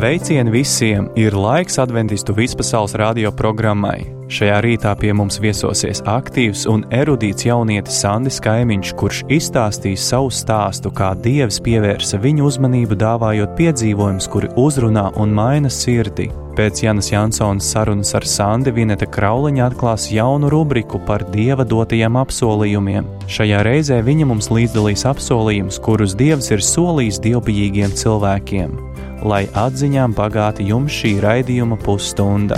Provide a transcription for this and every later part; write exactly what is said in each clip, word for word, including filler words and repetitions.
Sveicieni visiem! Ir laiks Adventistu vispasaules radio programmai. Šajā rītā pie mums viesosies aktīvs un erudīts jaunietis Sandis Kaimiņš, kurš izstāstīs savu stāstu, kā Dievs pievērsa viņu uzmanību, dāvājot piedzīvojumus, kuri uzrunā un maina sirdi. Pēc Janas Jansonas sarunas ar Sandi Vineta Krauliņa atklās jaunu rubriku par Dieva dotajiem apsolījumiem. Šajā reizē viņa mums līdzdalīs apsolījumus, kurus Dievs ir solījis dievbijīgiem cilvēkiem. Lai atziņām bagāti jums šī raidījuma pusstunda.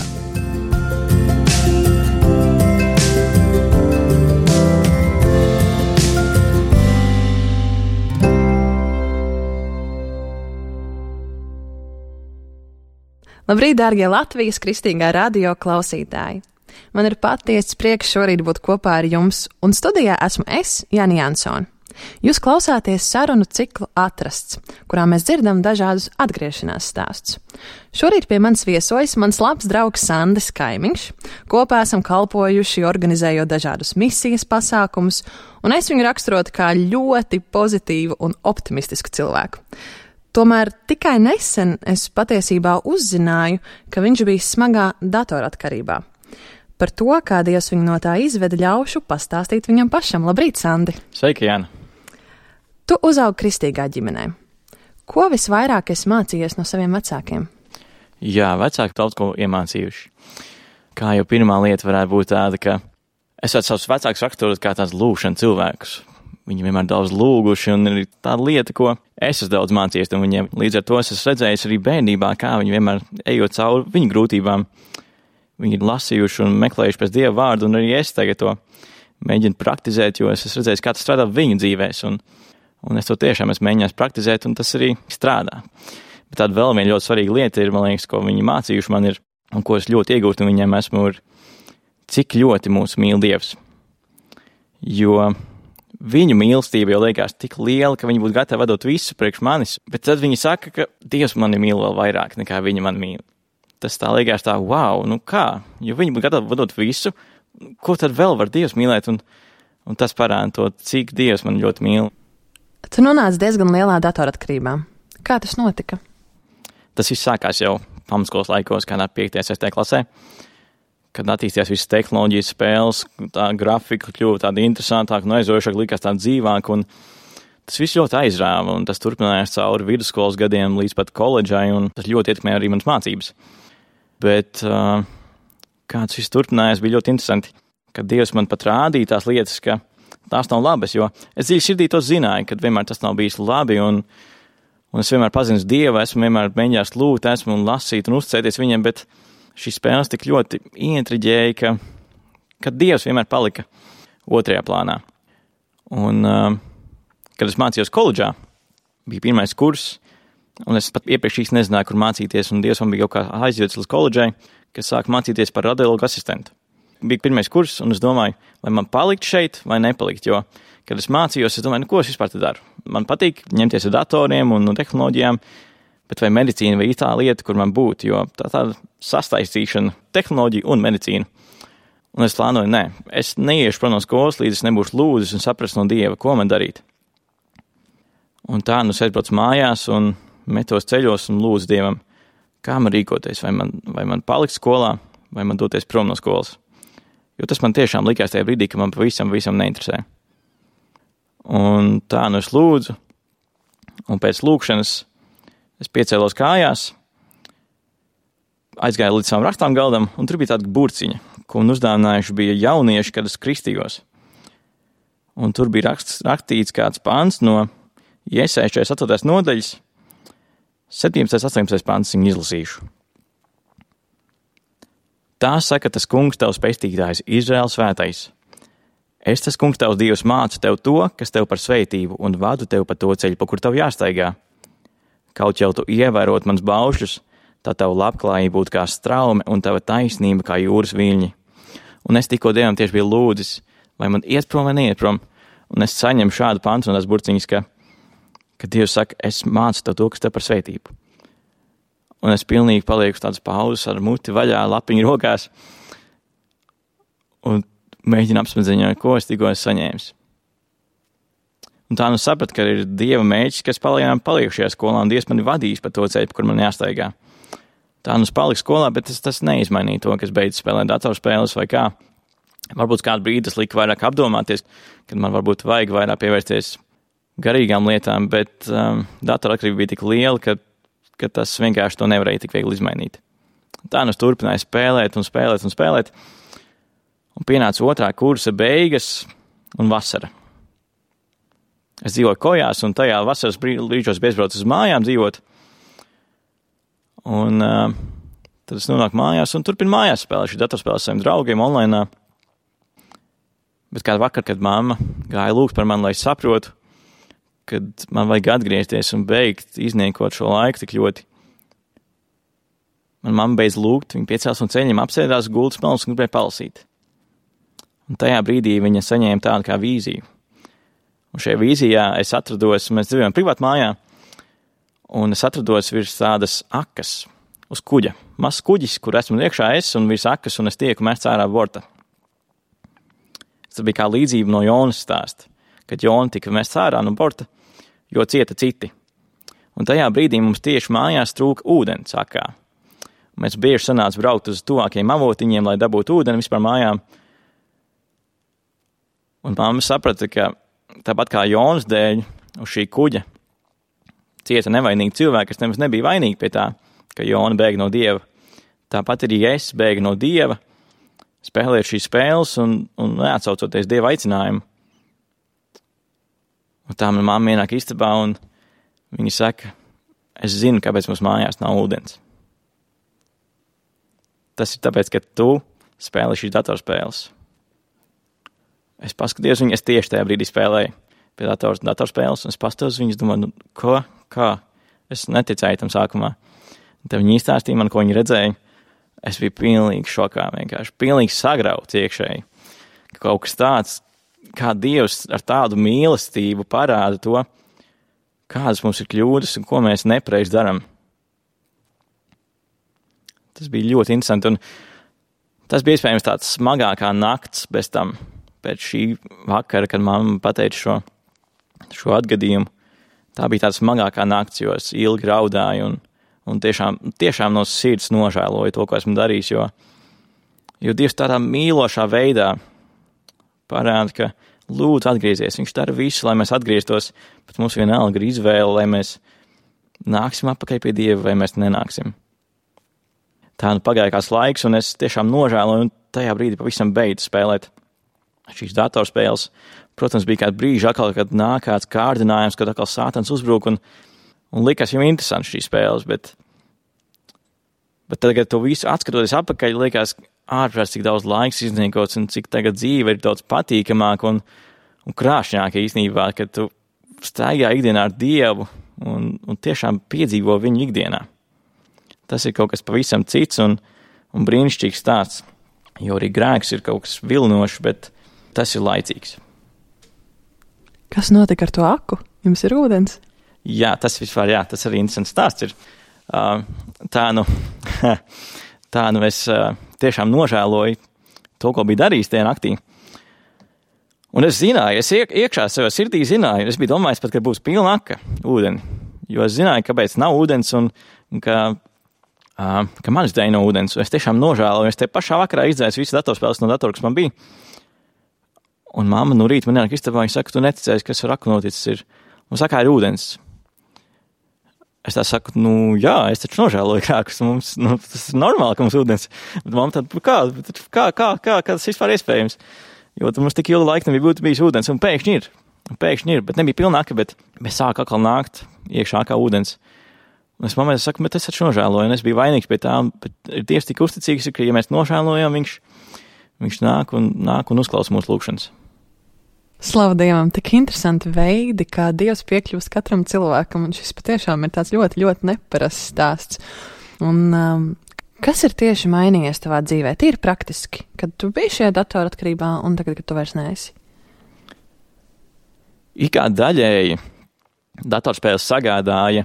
Labrīt, dārgie Latvijas kristīgā radio klausītāji! Man ir patiesas prieks šorīt būt kopā ar jums, un studijā esmu es, Jana Jansona. Jūs klausāties sarunu ciklu Atrasts, kurā mēs dzirdam dažādus atgriešanās stāstus. Šorīt pie manis viesojas mans labs draugs Sandis Kaimiņš. Kopā esam kalpojuši, organizējot dažādus misijas pasākumus, un es viņu raksturotu kā ļoti pozitīvu un optimistisku cilvēku. Tomēr tikai nesen es patiesībā uzzināju, ka viņš bija smagā datoratkarībā. Par to, kā Dievs viņu no tā izveda, ļaušu pastāstīt viņam pašam. Labrīt, Sandi! Sveiki, Jāna! Tu uzaugi kristīgā ģimenē. Ko visvairāk esi mācījies no saviem vecākiem? Jā, vecāki daudz ko iemācījuši. Kā jau pirmā lieta varētu būt tāda, ka es varu savus vecākus raksturot kā tās lūgšana cilvēkus. Viņi vienmēr daudz lūguši, un ir tāda lieta, ko es esmu daudz mācījies no viņiem. Līdz ar to es esmu redzējis arī bērnībā, kā viņi vienmēr ejot cauri viņu grūtībām. Viņi ir lasījuši un meklējuši pēc Dieva vārdu, un arī es tagad to mēģinu praktizēt, jo es esmu redzējis, kā tas strādā viņu dzīvēs, un, un es to tiešām esmu mēģinājis praktizēt, un tas arī strādā. Bet tāda vēl viena ļoti svarīga lieta ir, man liekas, ko viņi mācījuši man ir, un ko es ļoti iegūtu no viņiem esmu, ir, cik ļoti mūs mīl Dievs. Jo viņu mīlestība jau liekas tik liela, ka viņi būtu gatavi vadot visu priekš manis, bet tad viņi saka, ka Dievs mani mīl vēl vairāk nekā viņa mani mīl. Tas tā liekas tā, wow, nu kā, jo viņi būtu gatavi vadot visu, ko tad vēl var Dievs mīlēt, un, un tas parāda to, cik Dievs man ļoti mīl. Tu nonāci diezgan lielā datoratkarībā. Kā tas notika? Tas viss sākās jau pamatskolas laikos, kādā piektajā, sestajā klasē, kad attīstījās visas tehnoloģijas, spēles, tā grafika kļuva tāda interesantāka un aizraujošāka, likās tāda dzīvāka, un tas viss ļoti aizrāva, un tas turpinājās cauri vidusskolas gadiem līdz pat koledžai, un tas ļoti ietekmēja arī manas mācības. Bet uh, kā tas viss turpinājās, bija ļoti interesanti, kad Dievs man pat rādīja tās lietas, ka tās nav labas, jo es dziļi sirdī to zināju, kad vienmēr tas nav bijis labi, un, un es vienmēr pazinu Dievu, esmu vienmēr mēģinājis lūgt, esmu un lasīt un uzticēties viņam, bet šīs spēles tik ļoti ieintriģēja, ka, ka Dievs vienmēr palika otrajā plānā. Un uh, kad es mācījos koledžā, bija pirmais kurs, un es pat iepriekš īsti nezināju, kur mācīties, un Dievs man bija kaut kā aizvedis līdz koledžai, kas sāk mācīties par radiologu asistentu. Bija pirmais kurs, un es domāju, vai man palikt šeit, vai nepalikt, jo, kad es mācījos, es domāju, nu, ko es vispār te daru? Man patīk ņemties ar datoriem un tehnoloģijām, bet vai medicīna vai tā lieta, kur man būtu, jo tā tāda sastaistīšana, tehnoloģija un medicīna. Un es plānoju, nē, es neiešu prom no skolas, līdz es nebūšu lūdzis un saprast no Dieva, ko man darīt. Un tā, nu, es aizbraucu mājās un metos ceļos un lūdzu Dievam, kā man rīkoties, vai man, vai man palikt skolā, vai man doties prom no skolas. Jo tas man tiešām likās tajā brīdī, ka man pavisam, visam neinteresē. Un tā, nu, es lūdzu, un pēc lūkšanas es piecēlos kājās, aizgāju līdz savam rakstām galdam, un tur bija tāda burciņa, ko man uzdāvinājuši bija jaunieši, kad es kristījos. Un tur bija raksts, rakstīts kāds pants no Jesaja četrdesmit astotās nodaļas, septiņpadsmitais, astoņpadsmitais pants viņu izlasīšu. Tā saka tas kungs tavs pestītājs, Izraēls svētais. Es tas kungs tavs Dievs mācu tev to, kas tev par sveitību, un vadu tev pa to ceļu, pa kur tev jāstaigā. Kaut jau tu ievērot mans baušļus, tā tava labklājība būtu kā straume un tava taisnība kā jūras viļņi. Un es tikko Dievam tieši biju lūdzis, vai man iet prom vai neiet prom, un es saņemu šādu pantu no tās burciņas, ka, ka Dievs saka, es mācu tev to, kas tev par sveitību. Un es pilnīgi palieku tādas pauzes ar muti vaļā, lapiņu rokās, un mēģinu apsmadzeņot, ko es tikko esmu saņēmis. Un tā nu saprat, ka ir Dieva mēģis, kas palieku šajā skolā, un Dievs mani vadīs pa to ceļu, kur man jāstaigā. tā nu paliku skolā, bet tas, tas neizmainīja to, ka es beidzu spēlēt datorspēles vai kā. Varbūt kādu brīdi tas lika vairāk apdomāties, kad man varbūt vajag vairāk pievērsties garīgām lietām, bet um, datoratkarība bija tik liela, ka, ka tas vienkārši to nevarēja tik viegli izmainīt. Tā nu es turpināju spēlēt un spēlēt un spēlēt, un pienāca otrā kursa beigas un vasara. Es dzīvoju Kojās, un tajā vasaras brīžos bezbraucu uz mājām dzīvot, un uh, tad es nonāku mājās un turpinu mājās spēlēt šī datorspēles saviem draugiem online. Bet kādu vakar, kad mamma gāja lūgt par mani, lai es saprotu, kad man vajag atgriezties un beigt izniekot šo laiku tik ļoti. Man mamma beidz lūgt, viņa piecēlās un ceļiem apsēdās gultas pelnus un gribēja palasīt. Un tajā brīdī viņa saņēma tādu kā vīziju. Un šajā vīzijā es atrados, mēs dzīvojam privāt mājā, un es atrados virs tādas akas uz kuģa. Mazs kuģis, kur esmu iekšā es un virs akas, un es tieku mests ārā borta. Tas bija kā līdzība no Jonas stāsta, kad Jona tika mests ārā no borta, jo cieta citi. Un tajā brīdī mums tieši mājās trūka ūdens akā. Mēs bieži sanāca braukt uz tuvākajiem avotiņiem, lai dabūtu ūdeni vispār mājām. Un mamma saprata, ka tāpat kā Jonas dēļ uz šī kuģa cieta nevainīgi cilvēki, kas nemaz nebija vainīgi pie tā, ka Jona bēga no Dieva. Tāpat arī es bēgu no Dieva, spēlēt šīs spēles un, un neatsaucoties Dieva aicinājumu. Un tā man mamma ienāk istabā un viņa saka, es zinu, kāpēc mums mājās nav ūdens. Tas ir tāpēc, ka tu spēlē šīs datorspēles. Es paskatījos viņu, es tieši tajā brīdī spēlēju pie dators, datorspēles, un es pastos viņus, domāju, nu, ko, kā? Es neticēju tam sākumā. Tad viņi izstāstīja man, ko viņi redzēja. Es biju pilnīgi šokā, vienkārši pilnīgi sagrauts iekšēji. Kaut kas tāds, kā Dievs ar tādu mīlestību parāda to, kādas mums ir kļūdas un ko mēs nepareizi darām. Tas bija ļoti interesanti, un tas bija iespējams tāds smagākā nakts bez tam, pēc šī vakara, kad mamma pateica šo, šo atgadījumu. Tā bija tāda smagākā nakts, jo es ilgi raudāju un, un tiešām, tiešām no sirds nožēloju to, ko esmu darījis, jo, jo Dievs tādā mīlošā veidā parāda, ka lūdzu atgriezies. Viņš dara visu, lai mēs atgrieztos, bet mums vienalga ir izvēle, lai mēs nāksim atpakaļ pie Dieva, vai mēs nenāksim. Tā nu pagāja kāds laiks, un es tiešām nožēloju, un tajā brīdī pavisam beidzu spēlēt šīs datorspēles. Protams, bija kādi brīži atkal, kad nāk kāds kārdinājums, kad atkal sātans uzbruk, un, un likās jau interesanti šīs spēles, bet, bet tad, kad to visu atskatoties atpakaļ, likās ārprāts, cik daudz laiks izniekots, un cik tagad dzīve ir daudz patīkamāka un, un krāšņāka īstenībā, kad tu staigā ikdienā ar Dievu un, un tiešām piedzīvo viņu ikdienā. Tas ir kaut kas pavisam cits un, un brīnišķīgs stāsts, jo arī grēks ir kaut kas vilinošs, bet tas ir laicīgs. Kas notika ar to aku? Jums ir ūdens? Jā, tas vispār, jā, tas arī interesants stāsts ir. Uh, tā nu, tā nu es uh, tiešām nožēloju to, ko biju darījis tajā naktī. Un es zināju, es iek, iekšā savā sirdī zināju, es biju domājis pat, ka būs pilna aka ūdeni, jo es zināju, kāpēc nav ūdens un, un ka, uh, ka manis dēļ nav ūdens. Es tiešām nožēloju, es te pašā vakarā izdzēsu visu datorspēles no datora, kas man bija. Un mamma nu rīt man ienāk istabā, viņa saka, tu neticēsi, kas ar aku noticis ir. Un saka, ir ūdens. Es tā saku, nu jā, es taču nožēloju krākus, mums, nu, tas ir normāli, ka mums ūdens. Bet mamma tāda, kā, kā, kā, kā, kā tas vispār iespējams? Jo tur mums tik ilgu laiku nebija būt bijis ūdens, un pēkšņi ir. Un pēkšņi ir, bet nebija pilna aka, bet, bet sāk atkal nākt iekšā kā ūdens. Un es mammai saku, bet es taču nožēloju, un es biju vainīgs pie tā, bet Dievs tik uzticīgs, ka ja mēs nožēlojam, viņš, viņš nāk un, nāk un uzklausa mūsu lūgšanas. Slavu Dievam, tik interesanti veidi, kā Dievs piekļūst katram cilvēkam, un šis patiešām ir tāds ļoti, ļoti neparasts stāsts. Un um, kas ir tieši mainījies tavā dzīvē? Tīri praktiski, kad tu biji šajā datoratkarībā un tagad, kad tu vairs neesi? Ikā daļēji datorspēles sagādāja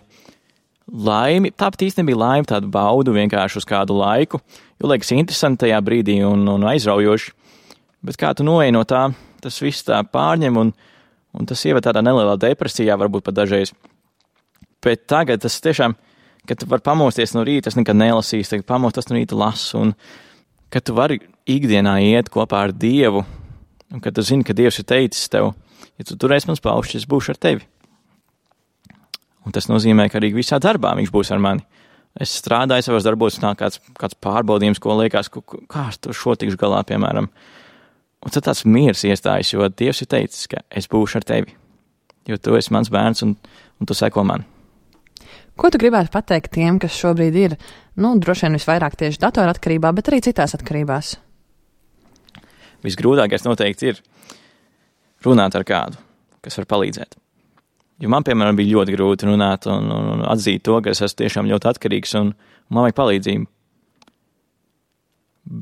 laimi, tāpat īsti nebija laimi, tādu baudu vienkārši uz kādu laiku, jo liekas interesanti tajā brīdī un, un aizraujoši, bet kā tu noeji no tā, tas viss tā pārņem un, un tas ieved tādā nelielā depresijā, varbūt pat dažreiz. Bet tagad tas tiešām, kad tu vari pamosties no rīta, es nekad nelasīju, tagad pamostos no rīta lasu, un kad tu vari ikdienā iet kopā ar Dievu, un kad tu zini, ka Dievs ir teicis tev, ja tu turēsi mans paušs, es būšu ar tevi. Un tas nozīmē, ka arī visā darbā viņš būs ar mani. Es strādāju savos darbos, nāk kāds, kāds pārbaudījums, ko liekas, kā ar to šo tikšu galā, piemēram. Un tad tāds miers iestājas, jo Dievs ir teicis, ka es būšu ar tevi. Jo tu esi mans bērns un, un tu seko man. Ko tu gribētu pateikt tiem, kas šobrīd ir, nu, droši vien visvairāk tieši datoratkarībā, bet arī citās atkarībās? Visgrūtākais noteikti ir runāt ar kādu, kas var palīdzēt. Jo man, piemēram, bija ļoti grūti runāt un, un, un atzīt to, ka es esmu tiešām ļoti atkarīgs un man vajag palīdzību.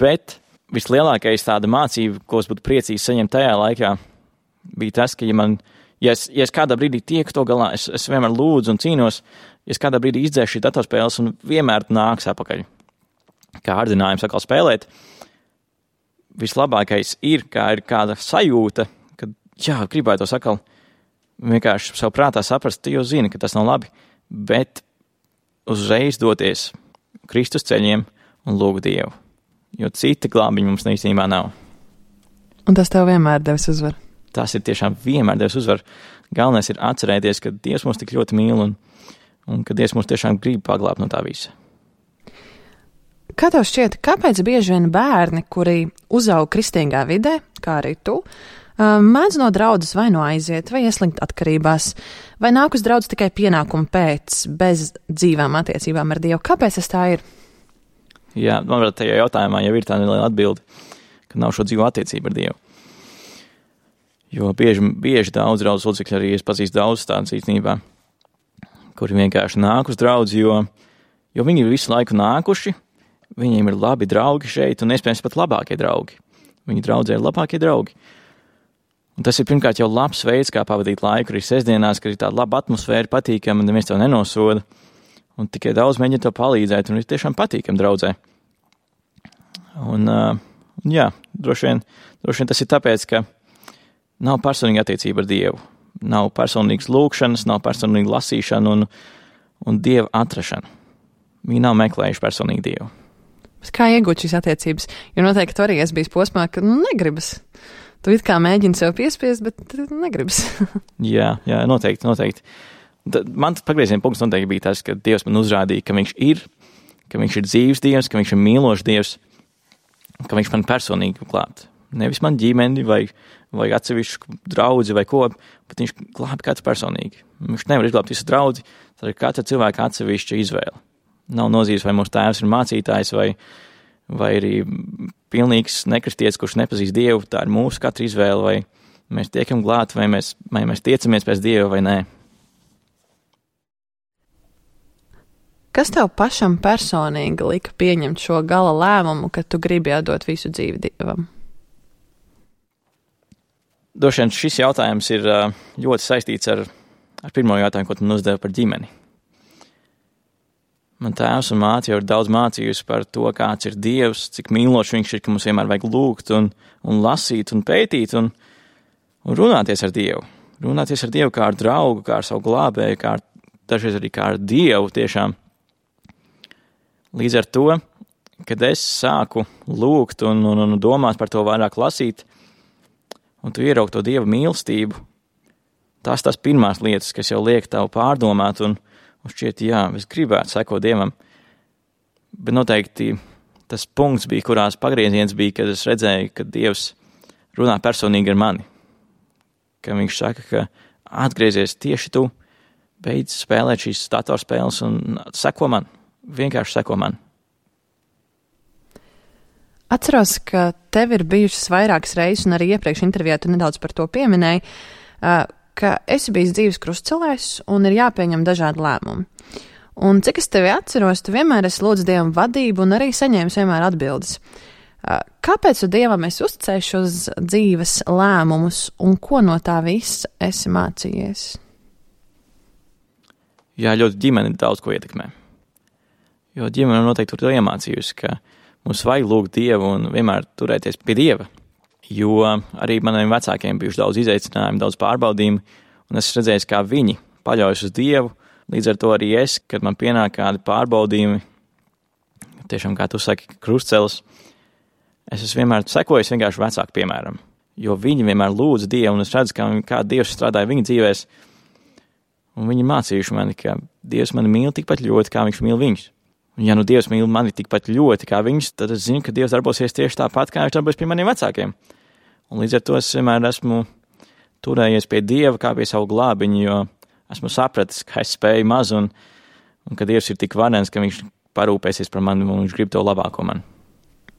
Bet vislielākais tāda mācība, ko es būtu priecīgs saņemt tajā laikā, bija tas, ka, ja man, ja es, ja es kādā brīdī tieku to galā, es, es vienmēr lūdzu un cīnos, ja es kādā brīdī izdzēšu šī datorspēles un vienmēr nāks apakaļ. Kā ārdinājums atkal spēlēt, vislabākais ir, kā ir kāda sajūta, ka, jā, gribētu to sakal, vienkārši savu prātā saprast, tu jau zini, ka tas nav labi, bet uzreiz doties Kristus ceļiem un lūgt Dievu, jo cita glābiņa mums īstenībā nav. Un tas tev vienmēr devis uzvaru? Tas ir tiešām vienmēr devis uzvaru. Galvenais ir atcerēties, ka Dievs mūs tik ļoti mīl un, un ka Dievs mūs tiešām grib paglābt no tā visa. Kā tev šķiet, kāpēc bieži vien bērni, kuri uzaug kristīgā vidē, kā arī tu, mēdz no draudzes vai no aiziet, vai ieslikt atkarībās, vai nāk uz draudzi tikai pienākumu pēc, bez dzīvām attiecībām ar Dievu? Kāpēc tas tā ir? Jā, man varbūt tajā jautājumā jau ir tā neliela atbilde, ka nav šo dzīvo attiecību ar Dievu. Jo bieži, bieži daudz draudzes locekļi arī es pazīstu daudz tādas īstenībā, kuri vienkārši nāk uz draudzi, jo, jo viņi ir visu laiku nākuši, viņiem ir labi draugi šeit un iespējams pat labākie draugi. Viņi draudzē ir labākie draugi. Un tas ir pirmkārt jau labs veids, kā pavadīt laiku arī sestdienās, kad ir tāda laba atmosfēra, patīkama, un neviens tev nenosoda. Un tikai daudz mēģina tev palīdzēt, un ir tiešām patīkami draudzē. Un, uh, jā, droši vien, droši vien tas ir tāpēc, ka nav personīga attiecība ar Dievu. Nav personīgas lūkšanas, nav personīga lasīšana un, un Dieva atrašana. Viņi nav meklējuši personīgi Dievu. Bet kā iegūt šīs attiecības? Jo noteikti tu arī esi bijis posmā, ka nu, negribas. Tu it kā mēģini sev piespiest, bet negribas. jā, jā, noteikti, noteikti. Tad man pagrieziena punkts noteikti bija tas, ka Dievs man uzrādīja, ka viņš ir, ka viņš ir dzīves Dievs, ka viņš ir mīlošs Dievs, ka viņš man personīgi glābt. Nevis man ģimeni vai, vai atsevišķu draudzi vai ko, bet viņš glābi kāds personīgi. Viņš nevar izglābt visu draudzi, tad ir katra cilvēka atsevišķa izvēle. Nav nozīmes, vai mūsu tēvs ir mācītājs vai, vai arī pilnīgs nekristietis, kurš nepazīst Dievu. Tā ir mūsu katra izvēle, vai mēs tiekam glāti, vai mēs, vai mēs tiecamies pēc Dieva vai nē. Kas tev pašam personīgi lika pieņemt šo gala lēmumu, ka tu gribi atdot visu dzīvi Dievam? Droši vien šis jautājums ir ļoti saistīts ar, ar pirmo jautājumu, ko tu man uzdevi par ģimeni. Man tēvs un māte jau ir daudz mācījusi par to, kāds ir Dievs, cik mīlošs viņš ir, ka mums vienmēr vajag lūgt un, un lasīt un pētīt un, un runāties ar Dievu. Runāties ar Dievu kā ar draugu, kā ar savu glābēju, kā ar, dažreiz arī kā ar Dievu tiešām. Līdz ar to, kad es sāku lūgt un, un, un domāt par to vairāk lasīt, un tu ieraug to Dieva mīlestību, tās tās pirmās lietas, kas jau liek tavu pārdomāt un Un šķiet, jā, es gribētu sekot Dievam, bet noteikti tas punkts bija, kurās pagrieziens bija, kad es redzēju, ka Dievs runā personīgi ar mani. Ka viņš saka, ka atgriezies tieši tu, beidz spēlēt šīs datorspēles un seko man, vienkārši seko man. Atceros, ka tev ir bijušas vairākas reizes, un arī iepriekš intervijā tu nedaudz par to pieminēji, ka esi bijis dzīves krustcelēs un ir jāpieņem dažādi lēmumi. Un cik es tevi atceros, tu vienmēr esi lūdz Dievam vadību un arī saņēmis vienmēr atbildes. Kāpēc tu Dievam esi uzticējis šos dzīves lēmumus un ko no tā visa esi mācījies? Jā, ļoti ģimene daudz ko ietekmē. Jo ģimene noteikti tur iemācījusi, ka mums vajag lūgt Dievu un vienmēr turēties pie Dieva. Jo arī maniem vecākiem bijuši daudz izaicinājumu, daudz pārbaudījumu, un es redzēju, kā viņi paļaujas uz Dievu Līdz ar to arī es, kad man pienāk kādi pārbaudījumi, tiešām, kā tu saki, krustcelis, es esmu vienmēr sekojis vienkārši vecāku piemēram, jo viņi vienmēr lūdza Dievu, un es redzu, kā, kā Dievs strādāja viņa dzīvēs, un viņi mācījuši mani, ka Dievs mani mīl tikpat ļoti, kā viņš mīl viņus. Un ja nu Dievs mīl mani tikpat ļoti, kā viņus, tad es zinu, ka Dievs darbosies tieši tāpat, kā viņš darbojas pie maniem vecākiem. Un līdz ar to es vienmēr esmu turējies pie Dieva kā pie savu glābiņu, jo esmu sapratis, ka es spēju maz, un, un ka Dievs ir tik varens, ka viņš parūpēsies par mani, un viņš grib to labāko man.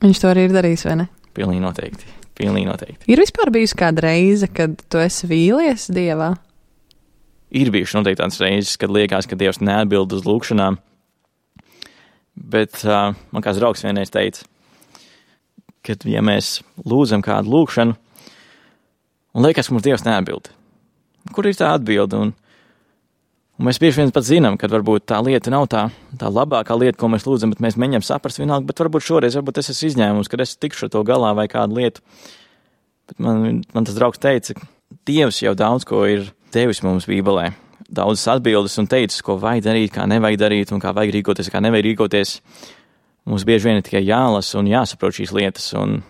Viņš to arī ir darījis, vai ne? Pilnīgi noteikti. Pilnīgi noteikti. Ir vispār bijusi kāda reize, kad tu esi vīlies Dievā? Ir bijuši noteikti tādas reizes, kad liekas, ka Dievs neatbild uz lūkšanām. Bet uh, man kāds draugs vienreiz teica, ka ja mēs lūdzam kādu lūkšanu, un liekas, ka mums Dievs neatbild, kur ir tā atbilde? Un, un mēs bieži vien pat zinām, ka varbūt tā lieta nav tā, tā labākā lieta, ko mēs lūdzam, bet mēs mēģinām saprast vienalga, bet varbūt šoreiz, varbūt es esmu izņēmums, kad es tikšu ar to galā vai kādu lietu. Bet man, man tas draugs teica, ka Dievs jau daudz ko ir devis mums Bībelē. Daudzas atbildes un teicis, ko vajag darīt, kā nevajag darīt, un kā vajag rīkoties, kā nevajag rīkoties. Mums bieži vien ir tikai jālasa un jāsaprot šīs lietas, un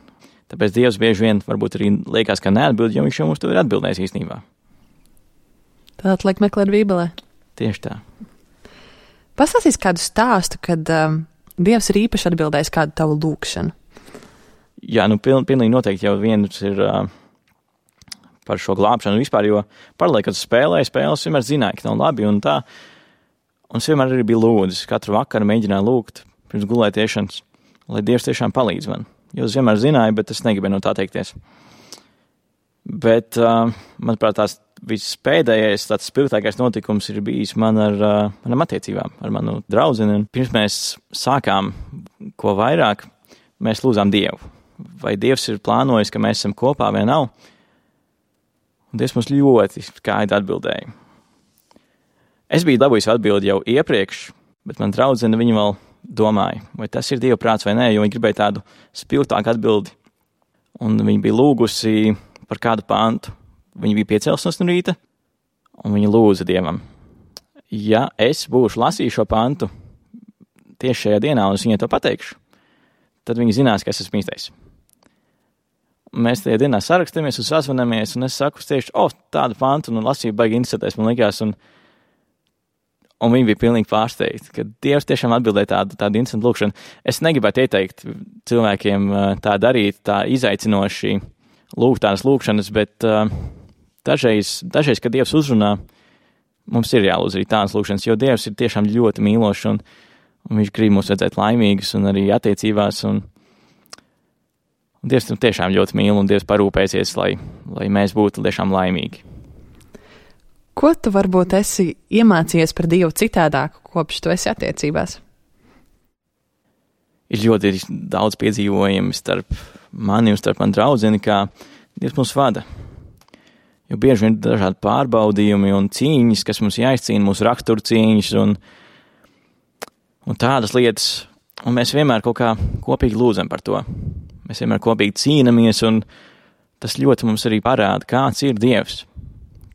tāpēc Dievs bieži vien varbūt arī liekas, ka neatbild, jo viņš jau mums to ir atbildējis īstenībā. Tātad liek meklēt Bībelē. Tieši tā. Pastāstīs kādu stāstu, kad um, Dievs ir īpaši atbildējis kādu tavu lūkšanu. Jā, nu piln, pilnīgi noteikti jau viens ir... Uh, par šo glābšanu vispār, jo paralēli, kad spēlēju spēles, vienmēr zināju, ka nav labi un tā. Un es vienmēr arī biju lūdzis, katru vakaru mēģināju lūgt pirms gulētiešanas, lai Dievs tiešām palīdz man. Jo es vienmēr zināju, bet es negribēju no tā teikties. Bet, uh, manuprāt, tās vispēdējais, tāds spilgtākais notikums ir bijis man ar uh, manam attiecībām, ar manu draudzeni. Pirms mēs sākām ko vairāk, mēs lūdzām Dievu. Vai Dievs ir plānojis, ka mēs esam kopā vai nav? Un Dievs mums ļoti skaidri atbildēja. Es biju dabūjis atbildi jau iepriekš, bet man draudzene viņa vēl domāja, vai tas ir Dieva prāts vai nē, jo viņa gribēja tādu spilgtāku atbildi. Un viņa bija lūgusi par kādu pantu. Viņa bija piecēlusies no rīta, un viņa lūdza Dievam. Ja es būšu lasījis šo pantu tieši šajā dienā, un es viņai to pateikšu, tad viņa zinās, ka es esmu īstais. Mēs tajā dienā sarakstamies un sazvanamies, un es saku tieši, o, oh, tādu pantu, un lasīju baigi interesēties, man likās, un, un viņi bija pilnīgi pārsteigti, ka Dievs tiešām atbildēja tādu, tādu interesantu lūkšanu. Es negribētu ieteikt cilvēkiem tā darīt, tā izaicinoši lūgt tādas lūkšanas, bet uh, dažreiz, dažreiz, kad Dievs uzrunā, mums ir jālūdz arī tādas lūkšanas, jo Dievs ir tiešām ļoti mīlošs, un, un viņš grib mūs redzēt laimīgus un arī attiecībās, un Un Dievs tiešām ļoti mīl, un Dievs parūpēsies, lai, lai mēs būtu tiešām laimīgi. Ko tu varbūt esi iemācījies par Dievu citādāk, kopš tu esi attiecībās? Ir ļoti daudz piedzīvojumi starp mani un starp mani draudzeni, kā Dievs mums vada. Jo bieži vien ir dažādi pārbaudījumi un cīņas, kas mums jāizcīna, mūsu rakstura cīņas un, un tādas lietas, un mēs vienmēr kaut kā kopīgi lūdzam par to. Mēs vienmēr kopīgi cīnamies, un tas ļoti mums arī parāda, kāds ir Dievs.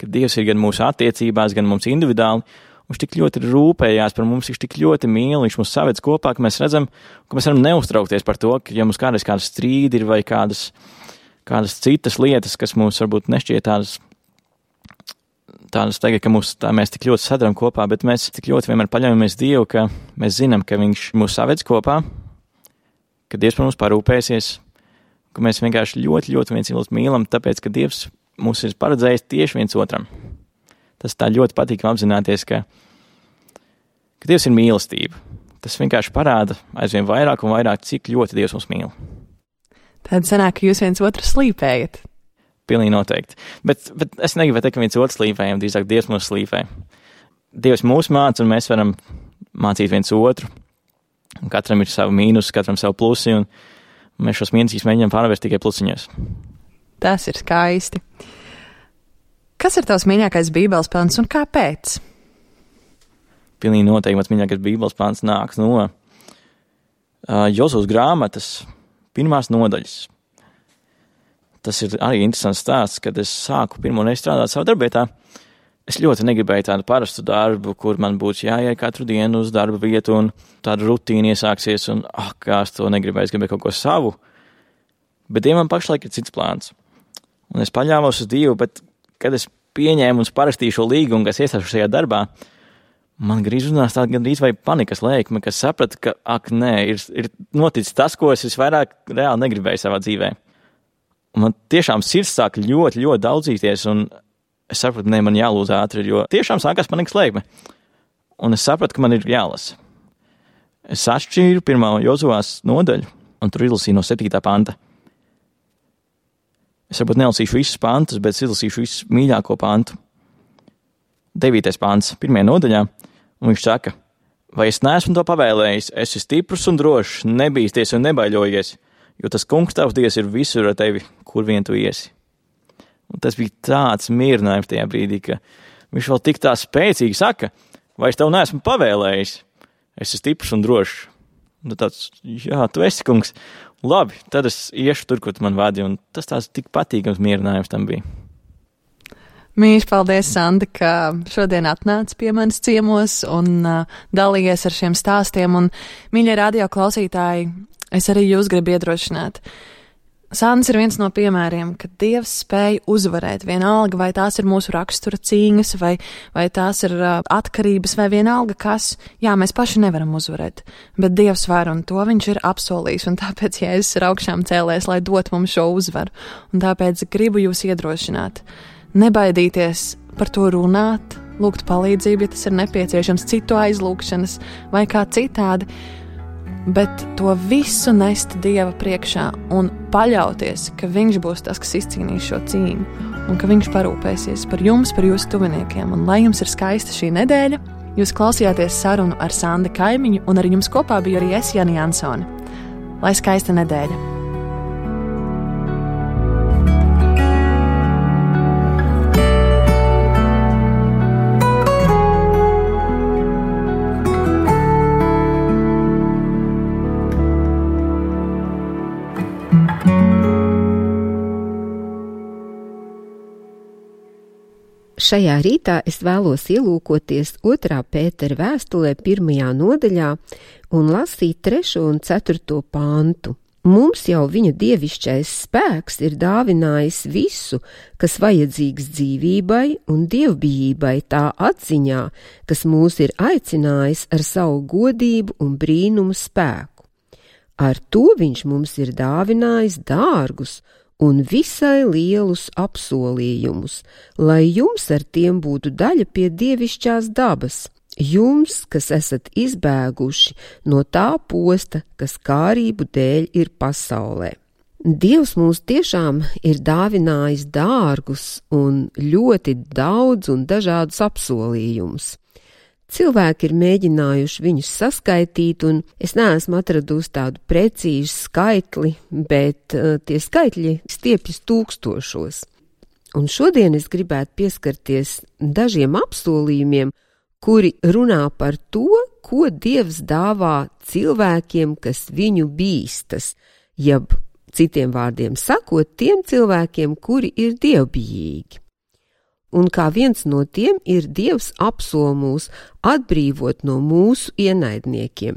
Ka Dievs ir gan mūsu attiecībās, gan mums individuāli. Viņš tik ļoti rūpējās par mums, viņš tik ļoti mīl, viņš mūs saved kopā, ka mēs redzam, ka mēs varam neuztraukties par to, ka ja mums kādreiz kādas strīdi ir vai kādas, kādas citas lietas, kas mums varbūt nešķiet tādas, tādas tagad, ka mūs, tā mēs tik ļoti sadaram kopā, bet mēs tik ļoti vienmēr paļaujamies Dievu, ka mēs zinām, ka viņš mūs saved kopā, ka Dievs par mums parūpēsies, ka mēs vienkārši ļoti, ļoti viens otru mīlam, tāpēc, ka Dievs mūs ir paredzējis tieši viens otram. Tas tā ļoti patīk apzināties, ka, ka Dievs ir mīlestība. Tas vienkārši parāda aizvien vairāk un vairāk, cik ļoti Dievs mums mīl. Tad sanāk, ka jūs viens otru slīpējat. Pilnīgi noteikti. Bet, bet es negribu teikt, ka viens otru slīpējam, drīzāk Dievs mūs slīpē. Dievs mūs māca, un mēs varam mācīt viens otru. Un katram ir savu mīnus, katram savu plusi, un mēs šos mīnusus mēģinām pārvērst tikai plusiņos. Tas ir skaisti. Kas ir tavs mīļākais Bībeles pants un kāpēc? Pilnīgi noteikti mans mīļākais Bībeles pants nāks no uh, Jozūs grāmatas pirmās nodaļas. Tas ir arī interesants stāsts, kad es sāku pirmo reizi strādāt savā darbietā. Es ļoti negribēju tādu parastu darbu, kur man būtu jāiet katru dienu uz darba vietu un tāda rutīna iesāksies un, ah, kā es to negribēju, es gribēju kaut ko savu. Bet Dievam pašlaik ir cits plāns. Un es paļāvos uz Dievu, bet kad es pieņēmu un parakstīju šo līgumu, kas iestāšu šajā darbā, man grīz runās tāda gandrīz vai panikas lēkme, kas saprata, ka, ak, nē, ir, ir noticis tas, ko es visvairāk reāli negribēju savā dzīvē. Un man tiešām sirds sāk ļoti, ļoti daudzīties, un es sapratu, ne, man jālūdz ātri, jo tiešām sākās panikas lēkme. Un es sapratu, ka man ir jālasa. Es atšķīru pirmā Jozuvās nodaļu, un tur izlasīju no septītā panta. Es varbūt nelasīšu visus pantus, bet izlasīšu visu mīļāko pantu. Devītais pants, pirmajā nodaļā, un viņš saka, vai es neesmu to pavēlējis, esi stiprs un drošs, nebīsties un nebaiļojies, jo tas kungs tavs Dievs ir visur ar tevi, kur vien tu iesi. Un tas bija tāds mierinājums tajā brīdī, ka viņš vēl tik tā spēcīgi saka, vai es tev neesmu pavēlējis, esi stiprs un drošs. Un tāds, jā, tu esi kungs. Labi, tad es iešu tur, kur tu man vadi, un tas tās tik patīkams mierinājums tam bija. Mīļš, paldies, Sandi, ka šodien atnāc pie manis ciemos un uh, dalījies ar šiem stāstiem. Un, mīļie radio klausītāji, es arī jūs gribu iedrošināt. Sandis ir viens no piemēriem, ka Dievs spēj uzvarēt vienalga, vai tās ir mūsu rakstura cīņas, vai, vai tās ir uh, atkarības, vai vienalga kas. Jā, mēs paši nevaram uzvarēt, bet Dievs var, un to viņš ir apsolījis, un tāpēc Jēzus ir augšām cēlēs, lai dot mums šo uzvaru. Un tāpēc gribu jūs iedrošināt. Nebaidīties par to runāt, lūgt palīdzību, ja tas ir nepieciešams, citu aizlūgšanas vai kā citādi, bet to visu nest Dieva priekšā un paļauties, ka viņš būs tas, kas izcīnīs šo cīņu un ka viņš parūpēsies par jums, par jūsu tuviniekiem. Un lai jums ir skaista šī nedēļa, jūs klausījāties sarunu ar Sandi Kaimiņu un ar jums kopā biju arī es, Jani Jansoni. Lai skaista nedēļa! Šajā rītā es vēlos ielūkoties otrā Pētera vēstulē pirmajā nodaļā un lasīt trešo un ceturto pantu. Mums jau viņa dievišķais spēks ir dāvinājis visu, kas vajadzīgs dzīvībai un dievbijībai tā atziņā, kas mūs ir aicinājis ar savu godību un brīnumu spēku. Ar to viņš mums ir dāvinājis dārgus un visai lielus apsolījumus, lai jums ar tiem būtu daļa pie dievišķās dabas, jums, kas esat izbēguši no tā posta, kas kārību dēļ ir pasaulē. Dievs mums tiešām ir dāvinājis dārgus un ļoti daudz un dažādus apsolījumus. Cilvēki ir mēģinājuši viņus saskaitīt, un es neesmu atradusi tādu precīzu skaitli, bet uh, tie skaitļi stiepjas tūkstošos. Un šodien es gribētu pieskarties dažiem apsolījumiem, kuri runā par to, ko Dievs dāvā cilvēkiem, kas viņu bīstas, jeb citiem vārdiem sakot, tiem cilvēkiem, kuri ir dievbijīgi. Un kā viens no tiem ir Dievs apsol mūs atbrīvot no mūsu ienaidniekiem.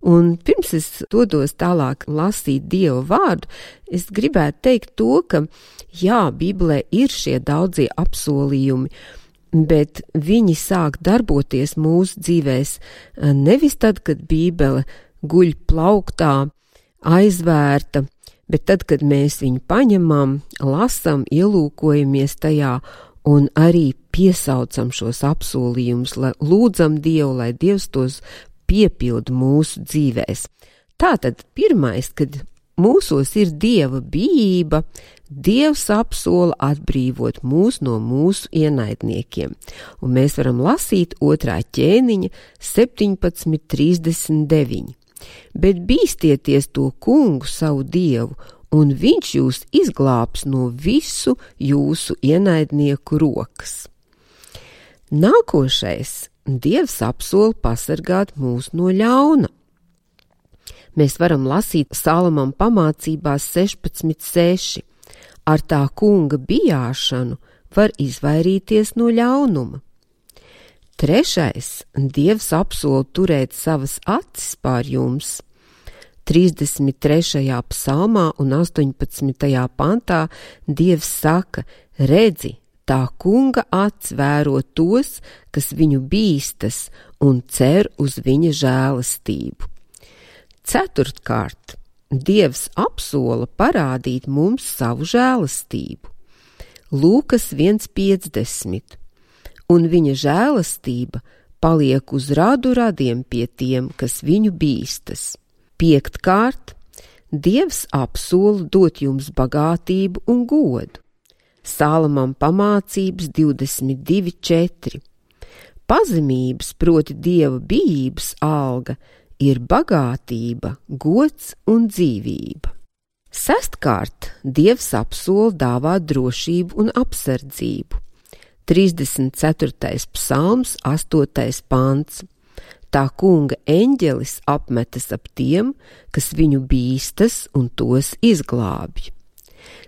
Un pirms es dodos tālāk lasīt Dieva vārdu, es gribētu teikt to, ka jā, Bībelē ir šie daudzie apsolījumi, bet viņi sāk darboties mūsu dzīvēs nevis tad, kad Bībele guļ plauktā, aizvērta, bet tad, kad mēs viņu paņemam, lasam, ielūkojamies tajā un arī piesaucam šos apsolījumus, lai lūdzam Dievu, lai Dievs tos piepilda mūsu dzīvēs. Tātad pirmais, kad mūsos ir Dieva bijība, Dievs apsola atbrīvot mūs no mūsu ienaidniekiem. Un mēs varam lasīt otrā ķēniņa septiņpadsmit trīsdesmit deviņi. Bet bīstieties to kungu savu Dievu, un viņš jūs izglābs no visu jūsu ienaidnieku rokas. Nākošais, Dievs apsola pasargāt mūs no ļauna. Mēs varam lasīt Salamam pamācībās sešpadsmit seši. Ar tā kunga bijāšanu var izvairīties no ļaunuma. Trešais, Dievs apsola turēt savas acis pār jums. trīsdesmit trešajā psalmā un astoņpadsmitajā pantā Dievs saka: redzi, tā kunga acis vēro tos, kas viņu bīstas un cer uz viņa žēlastību. Ceturtkārt, Dievs apsola parādīt mums savu žēlastību. Lūkas viens piecdesmit. Un viņa žēlastība paliek uz radu radiem pie tiem, kas viņu bīstas. Piektkārt, Dievs apsola dot jums bagātību un godu. Salamam pamācības divdesmit divi četri. Pazemības, proti Dieva bijības alga, ir bagātība, gods un dzīvība. Sestkārt, Dievs apsola dāvāt drošību un apsardzību. trīsdesmit ceturtais psalms, astotais pants. Tā kunga eņģelis apmetas ap tiem, kas viņu bīstas un tos izglābj.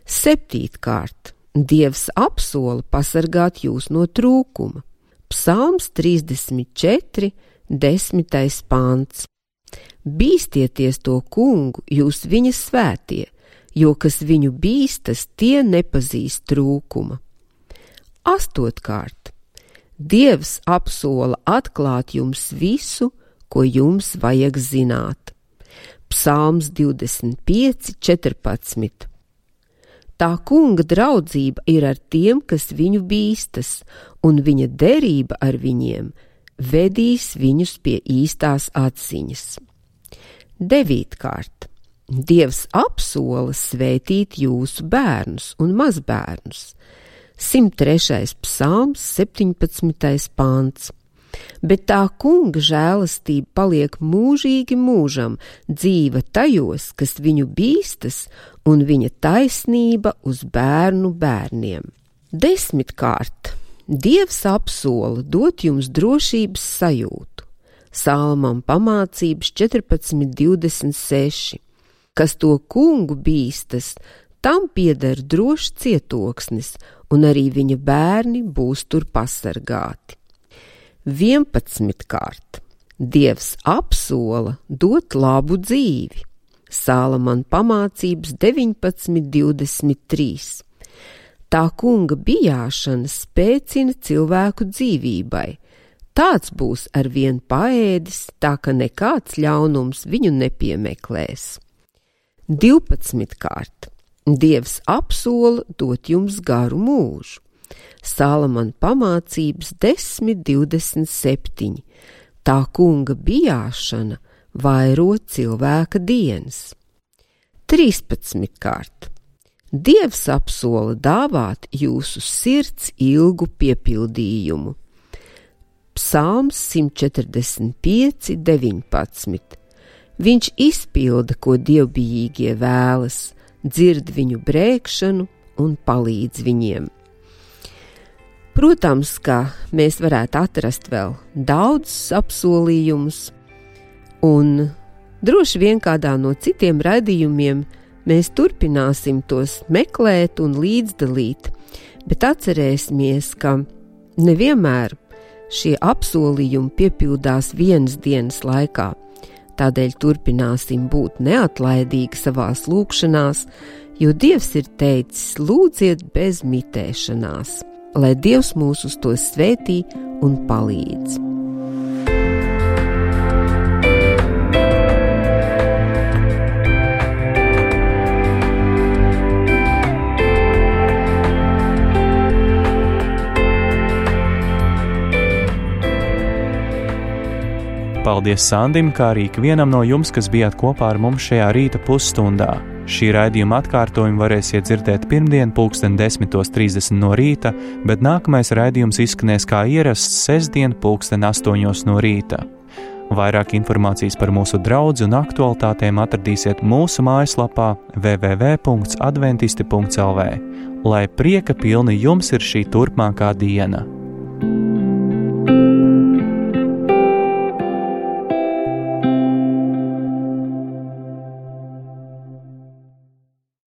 Septītkārt, Dievs apsola pasargāt jūs no trūkuma. Psalms trīsdesmit četri, desmitais pants. Bīstieties to kungu, jūs viņa svētie, jo kas viņu bīstas, tie nepazīst trūkuma. Astotkārt, Dievs apsola atklāt jums visu, ko jums vajag zināt. Psalms divdesmit pieci, četrpadsmit. Tā kunga draudzība ir ar tiem, kas viņu bīstas, un viņa derība ar viņiem vedīs viņus pie īstās atziņas. Devītkārt, Dievs apsola svētīt jūsu bērnus un mazbērnus. simt trešais psalms, septiņpadsmitais pants. Bet tā kunga žēlastība paliek mūžīgi mūžam, dzīva tajos, kas viņu bīstas, un viņa taisnība uz bērnu bērniem. Desmitkārt, Dievs apsola dot jums drošības sajūtu. Salmam pamācības četrpadsmit divdesmit seši. Kas to kungu bīstas, tam pieder drošs cietoksnis, un arī viņa bērni būs tur pasargāti. Vienpadsmitkārt, Dievs apsola dot labu dzīvi. Salamana pamācības deviņpadsmit divdesmit trīs. Tā kunga bijāšana spēcina cilvēku dzīvībai. Tāds būs arvien paēdis, tā ka nekāds ļaunums viņu nepiemeklēs. Divpadsmitkārt, Dievs apsola dot jums garu mūžu. Salamana pamācības desmit divdesmit septiņi. Tā kunga bijāšana vairo cilvēka dienas. Trīspadsmitkārt, Dievs apsola dāvāt jūsu sirds ilgu piepildījumu. Psalms simt četrdesmit pieci, deviņpadsmit. Viņš izpilda, ko dievbijīgie vēlas, dzird viņu brēkšanu un palīdz viņiem. Protams, ka mēs varētu atrast vēl daudzus apsolījumus, un droši vien kādā no citiem raidījumiem mēs turpināsim tos meklēt un līdzdalīt, bet atcerēsimies, ka nevienmēr šie apsolījumi piepildās vienas dienas laikā. Tādēļ turpināsim būt neatlaidīgi savās lūgšanās, jo Dievs ir teicis: lūdziet bez mitēšanās, lai Dievs mūs uz to svētī un palīdz. Paldies Sandim, kā arī ikvienam no jums, kas bijāt kopā ar mums šajā rīta pusstundā. Šī raidījuma atkārtojumu varēsiet dzirdēt pirmdien pulksten desmitos trīsdesmit no rīta, bet nākamais raidījums izskanēs kā ierasts sestdien pulksten astoņos no rīta. Vairāk informācijas par mūsu draudzi un aktualitātēm atradīsiet mūsu mājaslapā w w w punkts adventisti punkts l v. Lai prieka pilni jums ir šī turpmākā diena!